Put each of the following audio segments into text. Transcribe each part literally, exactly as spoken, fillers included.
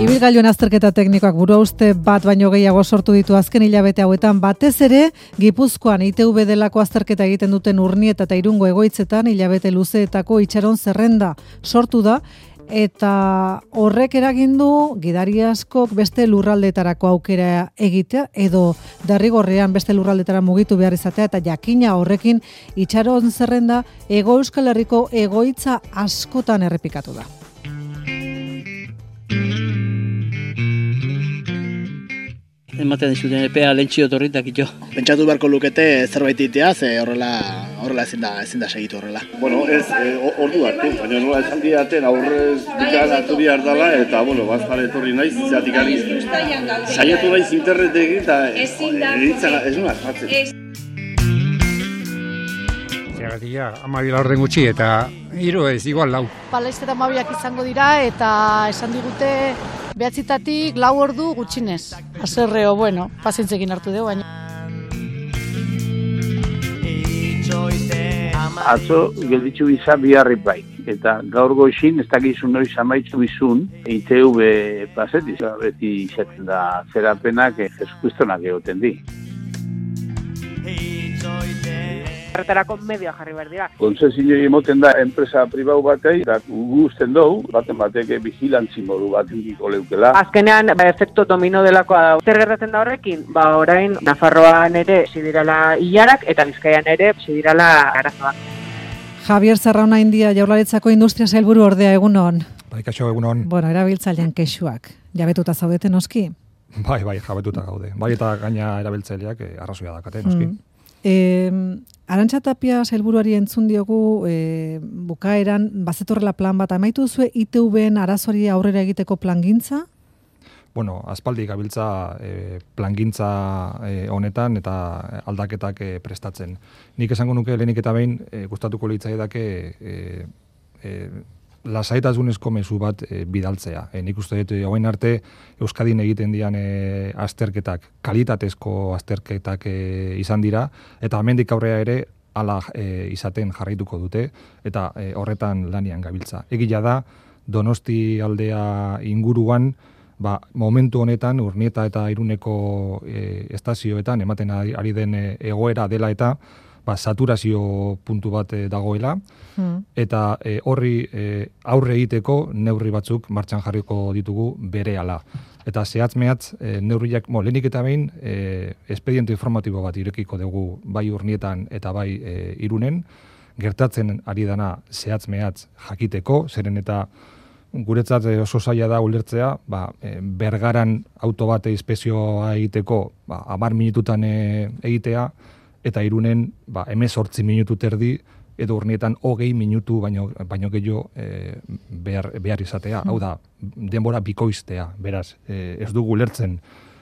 Ibilgailuen azterketa teknikoak buruhauste bat baino gehiago sortu ditu azken hilabete hauetan, batez ere Gipuzkoan I T V delako azterketa egiten duten Urnieta eta Irungo egoitzetan hilabete luzeetako itxaron zerrenda sortu da, eta horrek eragin du gidari askok beste lurraldetarako aukera egitea edo derrigorrean beste lurraldetara mugitu behar izatea, eta jakina horrekin itxaron zerrenda Hego Euskal Herriko egoitza askotan errepikatu da. Ematen dizuten epea lentsio torritak ito. Pentsatu beharko lukete zerbait itea, ze horrela horrela ezin da ezin da segitu horrela. Bueno, ez eh, ordu hartu, baina nola esan diaten aurrez dikan hartu behar dela, eta bueno, bazpare etorri naiz, zeatik ari saiatu naiz internetekin, eta ez nuen asmatzen. Zergatia, amabi laurden gutxi eta hiru ez, igual lau. Palaiztera amabiak izango dira eta esan digute behatzitatik lau ordu gutxinez. Azerreo, bueno, pazientzekin hartu dugu, baina. Atzo gelditzu biza biharri bai, eta gaur goizin ez dakizu noiz amaitzu bizun I T V pasetiz, beti izaten da zerapenak jeskuistonak egoten di. Horretarako medioa jarri behar dira. Konzesioi emoten da enpresa pribau batei, eta guzten dugu, baten batek vigilantzi modu bat indiko leukela. Azkenean, ba, efekto domino delakoa da. Zer gertatzen da horrekin? Ba, orain, Nafarroan ere zidirala hilarak, eta Bizkaian ere zidirala arazoak. Javier Zarrauna India, Jaurlaritzako Industria Sailburu ordea, egunon. Bai, kaixo, egunon. Bueno, erabiltzailean kexuak. Jabetuta zaudete noski? Bai, bai, jabetuta gaude. Bai, eta gaina erabiltzaileak eh, arrazoia dakate noski. Mm. Eh, Arantxa Tapia sailburuari entzun diogu eh, bukaeran bazetorrela plan bat, amaitu zue I T V:en arazoari aurrera egiteko plangintza? Bueno, aspaldi gabiltza eh, plangintza eh, honetan eta aldaketak eh, prestatzen. Nik esango nuke lehenik eta behin eh, gustatuko litzaidake eh, eh, lasaitasunezko mezu bat e, bidaltzea. E, nik uste dut hogein arte Euskadin egiten dian e, azterketak, kalitatezko azterketak e, izan dira, eta hemendik aurrera ere hala e, izaten jarraituko dute, eta e, horretan lanian gabiltza. Egia da, Donosti aldea inguruan, ba, momentu honetan, Urnieta eta Iruneko e, estazioetan, ematen ari, ari den e, egoera dela eta, ba, saturazio puntu bat e, dagoela, hmm. eta e, horri e, aurre egiteko neurri batzuk martxan jarriko ditugu berehala. Eta zehatz-mehatz e, neurriak, mo, lehenik eta behin, e, espediente informatibo bat irekiko dugu bai Urnietan eta bai e, Irunen, gertatzen ari dana zehatz-mehatz jakiteko, zeren eta guretzat oso zaila da ulertzea, ba, e, Bergaran auto bat inspekzioa egiteko ba, hamar minututan e, egitea, eta Irunen ba, hemezortzi minutu terdi, edo Urnietan hogei minutu baino, baino gehiago e, behar, behar izatea. Mm. Hau da, denbora bikoiztea, beraz, e, ez dugu ulertzen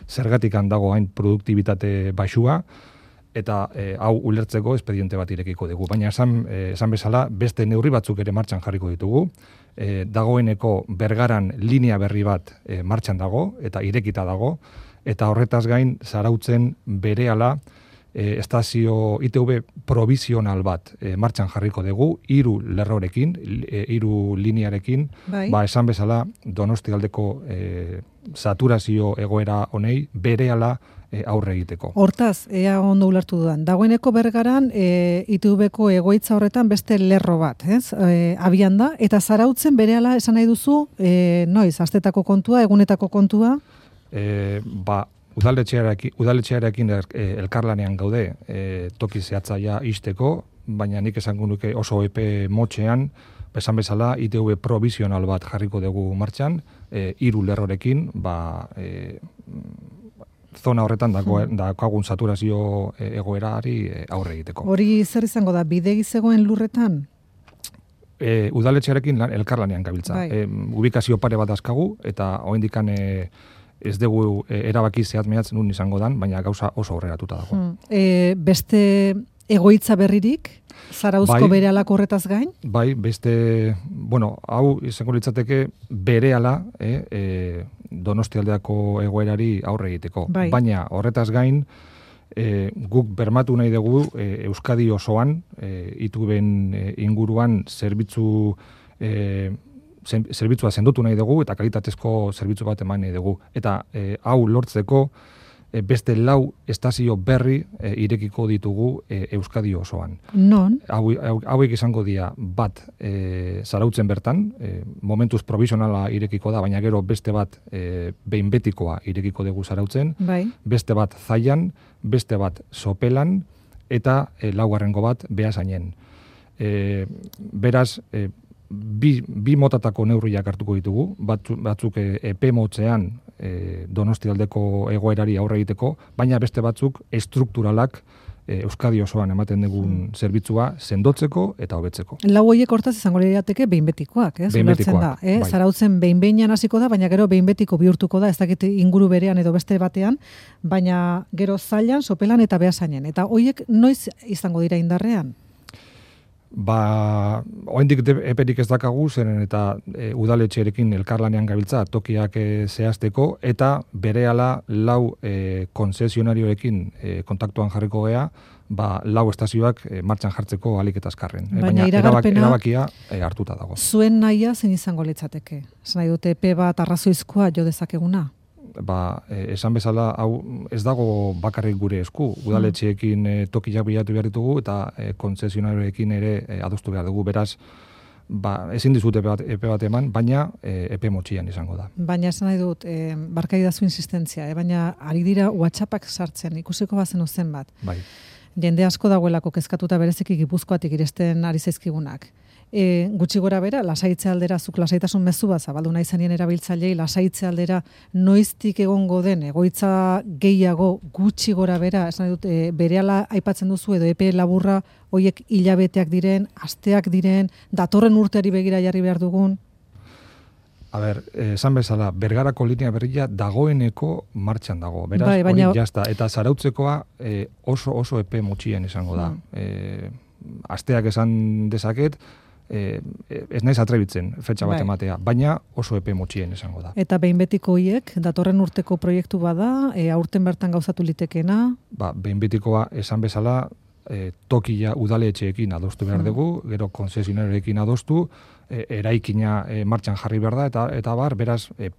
zergatik handago hain produktibitate baxua, eta e, hau ulertzeko espediente bat irekiko dugu. Baina esan, e, esan bezala, beste neurri batzuk ere martxan jarriko ditugu. E, dagoeneko Bergaran linea berri bat e, martxan dago, eta irekita dago, eta horretaz gain zarautzen berehala E, estazio I T V provisional bat e, martxan jarriko dugu, hiru lerrorekin, e, hiru linearekin, bai. Ba, esan bezala Donosti aldeko e, saturazio egoera honei berehala e, aurre egiteko. Hortaz, ea ondo ulertu dudan, dagoeneko Bergaran e, I T Vko egoitza horretan beste lerro bat, ez? E, abian da, eta zarautzen berehala esan nahi duzu, e, noiz, astetako kontua, egunetako kontua? E, ba, Udaletxearekin, udaletxearekin elkarlanean gaude e, toki zehatzaia isteko, baina nik esango nuke oso epe motxean, esan bezala I T V provisional bat jarriko dugu martxan, e, hiru lerrorekin, ba, e, zona horretan daukagun saturazio egoerari aurre egiteko. Hori zer izango da, bidegi zegoen lurretan? E, udaletxearekin elkarlanean gabiltza. E, ubikazio pare bat azkagu, eta oraindikan e, ez dugu erabaki zehatz-mehatz nun izango dan, baina gauza oso aurreratuta dago. Hmm. E, beste egoitza berririk, Zarauzko bai, berehalako horretaz gain? Bai, beste, bueno, hau izango litzateke berehala eh, e, Donosti aldeako egoerari aurre egiteko. Bai. Baina horretaz gain, e, guk bermatu nahi dugu e, Euskadi osoan, e, I T V:en e, inguruan zerbitzu e, zerbitzua sendotu nahi dugu eta kalitatezko zerbitzu bat eman nahi dugu. Eta e, hau lortzeko e, beste lau estazio berri e, irekiko ditugu e, Euskadi osoan. Non? Hau, hau, hauek izango dira bat e, Zarautzen bertan, e, momentuz provisionala irekiko da, baina gero beste bat e, behin betikoa irekiko dugu Zarautzen, bai. Beste bat Zaian, beste bat Sopelan, eta e, laugarrengo bat Beasainen. E, beraz, e, bi, bi motatako neurriak hartuko ditugu, batzu, batzuk e, epe motzean e, Donostialdeko egoerari aurre egiteko, baina beste batzuk estrukturalak e, Euskadi osoan ematen dugun mm. zerbitzua sendotzeko eta hobetzeko. Lau horiek hortaz izango lirateke behin betikoak, ez? Behin betikoak, da, eh? bai. Zarautzen behin behinean hasiko da, baina gero behin betiko bihurtuko da, ez dakit inguru berean edo beste batean, baina gero Zailan, Sopelan eta Beasainen. Eta horiek noiz izango dira indarrean? Ba, oraindik eperik ez dakagu, zeren eta e, udaletxearekin elkarlanean gabiltza tokiak e, zehazteko, eta berehala lau e, konzesionarioekin e, kontaktuan jarriko gea, ba, lau estazioak e, martxan jartzeko alik eta azkarren. E, baina baina iragarpena, erabakia e, hartuta dago. Zuen nahia zein izango litzateke? Zena dute epe bat arrazoizkoa jo dezakeguna? Ba, eh, esan bezala, hau ez dago bakarrik gure esku. Udaletxeekin eh, tokiak bilatu behar ditugu eta eh, konzesionarioekin ere eh, adostu behar dugu. Beraz, ba, ezin dizut epe bat, epe bat eman, baina eh, epe motxian izango da. Baina esan nahi dut, eh, barkaidazu insistentzia, eh, baina ari dira WhatsAppak sartzen, ikusiko bazen zen bat. Bai. Jende asko dagoelako kezkatuta bereziki Gipuzkoatik iresten ari zaizkigunak. E, gutxi gora bera, lasaitze aldera, zuk lasaitasun mezu bat zabaldu nahi zanien erabiltzailei, lasaitze aldera noiztik egongo den, egoitza gehiago gutxi gora bera, esan dut, e, berehala aipatzen duzu, edo epe laburra, hoiek hilabeteak diren, asteak diren, datorren urteari begira jarri behar dugun? A ber, esan bezala, Bergarako linea berria dagoeneko martxan dago. Beraz, bai, baina... hori jazta. Eta Zarautzekoa e, oso oso epe motxien izango da. Mm. E, asteak esan dezaket, Eh, ez naiz atrebitzen fetxa bat bai. ematea, baina oso epe motxien izango da. Eta behin betiko hiek, datorren urteko proiektu bada, e, aurten bertan gauzatu litekena? Ba, behin betikoa esan bezala, e, tokia udaletxeekin adostu behar dugu, gero konzesionarioekin adostu, e, eraikina e, martxan jarri behar da, eta, eta bar, beraz, e,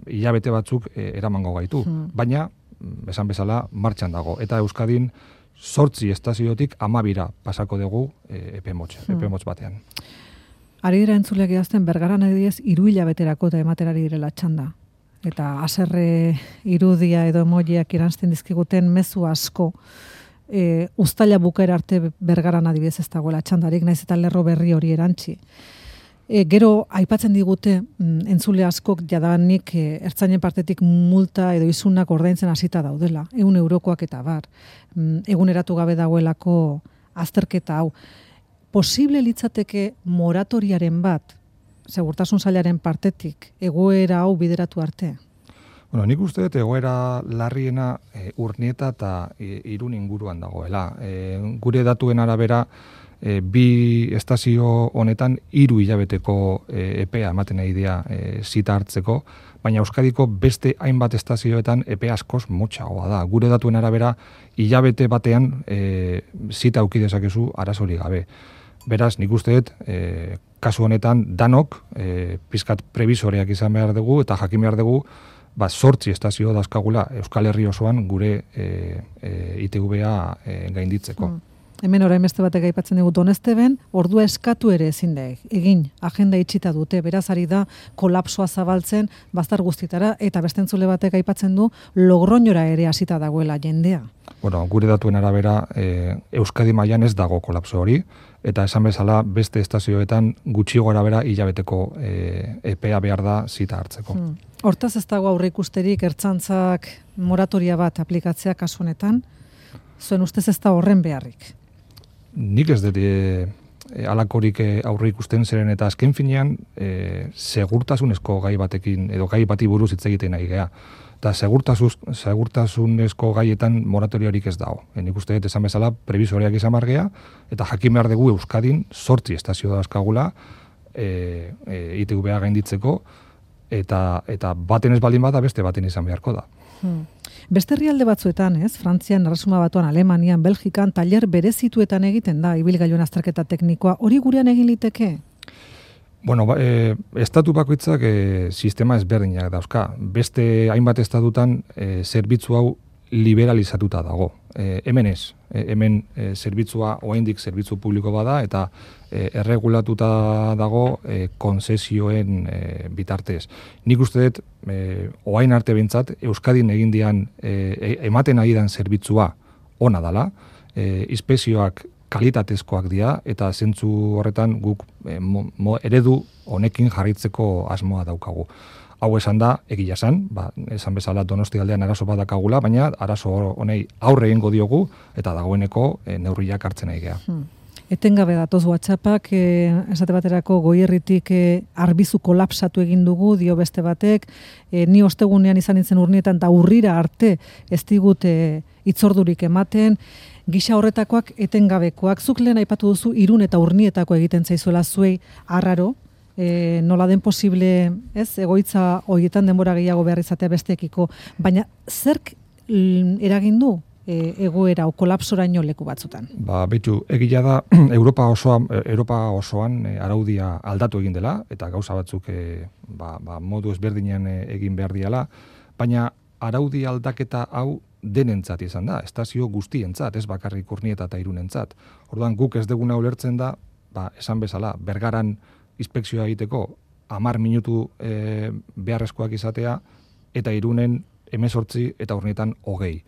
hilabete batzuk e, eramango gaitu. Hmm. Baina, esan bezala, martxan dago. Eta Euskadin, sortzi estaziotik amabira pasako dugu e, epe motx, hmm. epe motx batean. Ari dira entzuleak idazten Bergaran adibidez hiru hilabeterako eta ematerari direla txanda. Eta haserre irudia edo emojiak iranzten dizkiguten mezu asko e, uztaila bukaera arte Bergaran adibidez ez dagoela txandarik, naiz eta lerro berri hori erantzi. E, gero, aipatzen digute, mm, entzule askok jadanik e, ertzainen partetik multa edo izunak ordaintzen hasita daudela, ehun eurokoak eta bar. Mm, eguneratu gabe dagoelako azterketa hau. Posible litzateke moratoriaren bat, segurtasun sailaren partetik, egoera hau bideratu arte? Bueno, nik uste dut egoera larriena e, Urnieta eta e, Irun inguruan dagoela. E, gure datuen arabera, E, bi estazio honetan hiru hilabeteko e, epea ematen nahi dira e, zita hartzeko, baina Euskadiko beste hainbat estazioetan epe askoz motxagoa da. Gure datuen arabera hilabete batean e, zita auki dezakezu arazorik gabe. Beraz, nik uste dut, e, kasu honetan danok e, pizkat prebisoreak izan behar dugu eta jakin behar dugu ba, sortzi estazio dazkagula Euskal Herri osoan gure e, e, I T V-a e, gainditzeko. Mm. Hemen orain beste batek aipatzen dugu Donesteben, ordua eskatu ere ezin da egin, agenda itxita dute, beraz ari da kolapsoa zabaltzen bazter guztitara, eta beste entzule batek aipatzen du Logroñora ere hasita dagoela jendea. Bueno, gure datuen arabera e, Euskadi mailan ez dago kolapso hori, eta esan bezala beste estazioetan gutxi gora bera hilabeteko e, epea behar da zita hartzeko. Hmm. Hortaz ez dago aurre ikusterik ertzantzak moratoria bat aplikatzea kasu honetan, zuen ustez ez da horren beharrik? Nik ez dut e, alakorik aurre ikusten zeren eta azken finean e, segurtasunezko gai batekin edo gai bati buruz hitz egiten nahi gea. Eta segurtasunezko gaietan moratoriorik ez dago. E, nik uste dut esan bezala prebisoreak izan margea eta jakin behar dugu Euskadin sortzi estazio dazkagula e, e, I T V-a gainditzeko eta, eta baten ez baldin bada beste baten izan beharko da. Hmm. Beste herrialde batzuetan, ez? Frantzian, Erresuma Batuan, Alemanian, Belgikan, tailer berezituetan egiten da ibilgailuen azterketa teknikoa. Hori gurean egin liteke? Bueno, ba, e, estatu bakoitzak e, sistema ezberdinak dauzka. Beste hainbat estatutan e, zerbitzu hau liberalizatuta dago. E, hemen ez. E, hemen e, zerbitzua oraindik zerbitzu publiko bada eta e, erregulatuta dago e, konzesioen e, bitartez. Nik uste dut, e, orain arte behintzat, Euskadin egin dian e, ematen ari dan zerbitzua ona dala, e, inspekzioak kalitatezkoak dira eta zentzu horretan guk e, mo, mo, eredu honekin jarritzeko asmoa daukagu. Hau esan da, egia esan, ba, esan bezala Donosti aldean arazo badakagula, baina arazo honei aurre egingo diogu eta dagoeneko e, neurriak hartzen ari gea. Hmm. Etengabe datoz WhatsAppak, e, esate baterako Goierritik e, arbizu kolapsatu egin dugu, dio beste batek, e, ni ostegunean izan nintzen urnietan eta urrira arte ez digut e, itzordurik ematen, gisa horretakoak etengabekoak. Zuk lehen aipatu duzu Irun eta Urnietako egiten zaizuela zuei arraro, e, nola den posible, ez, egoitza horietan denbora gehiago behar izatea besteekiko, baina zerk eragin du e, egoera o kolapsoraino leku batzutan? Ba, betxu, egia da Europa osoan, Europa osoan e, araudia aldatu egin dela eta gauza batzuk e, ba, ba, modu ezberdinean e, egin behar diala, baina araudi aldaketa hau denentzat izan da, estazio guztientzat, ez bakarrik Urnieta eta Irunentzat. Orduan guk ez deguna ulertzen da, ba, esan bezala, Bergaran inspekzioa egiteko hamar minutu e, beharrezkoak izatea eta Irunen hemezortzi eta Urnietan hogei.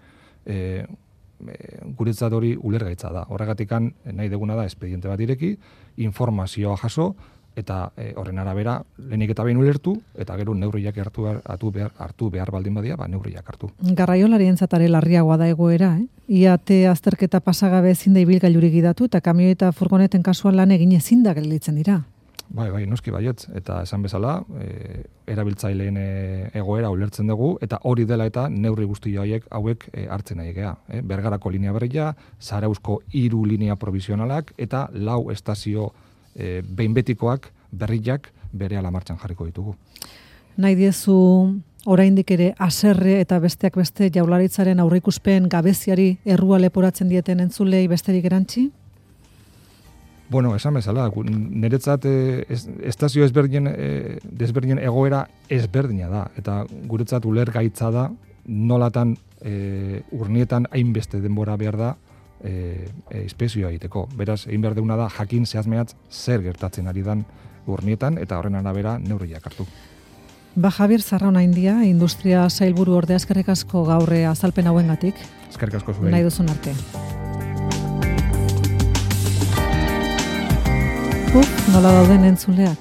E, e, guretzat hori ulergaitza da. Horregatikan nahi deguna da espediente bat ireki, informazioa jaso, eta e, horren arabera lehenik eta behin ulertu, eta gero neurriak hartu behar, hartu behar, hartu behar baldin badia, ba neurriak hartu. Garraiolarientzat are larriagoa da egoera, eh? Iate azterketa pasagabe ezin da ibilgailurik gidatu, eta kamioi eta furgoneten kasuan lan egin ezin da gelditzen dira. Bai, bai, noski baietz, eta esan bezala, e, erabiltzaileen e, egoera ulertzen dugu, eta hori dela eta neurri guzti hauek hauek e, hartzen nahi gea. E, Bergarako linea berria, Zarauzko hiru linea provisionalak, eta lau estazio e, behin betikoak, berriak, berehala martxan jarriko ditugu. Nahi diezu oraindik ere haserre eta besteak beste Jaurlaritzaren aurreikuspen gabeziari errua leporatzen dieten entzulei besterik erantzi? Bueno, esan bezala, niretzat eh, estazio ezberdinen, eh, desberdinen egoera ezberdina da, eta guretzat ulergaitza da nolatan eh, Urnietan hainbeste denbora behar da eh, eh, inspekzioa egiteko. Beraz, egin behar deuna da jakin zehazmeatz zer gertatzen ari dan Urnietan eta horren arabera neurriak hartu. Ba, Javier Zarraona India, Industria Sailburu ordea, eskerrik asko gaurre azalpen hauengatik. Eskerrik asko zuei. Nahi duzun arte. Uf, nola dauden entzuleak.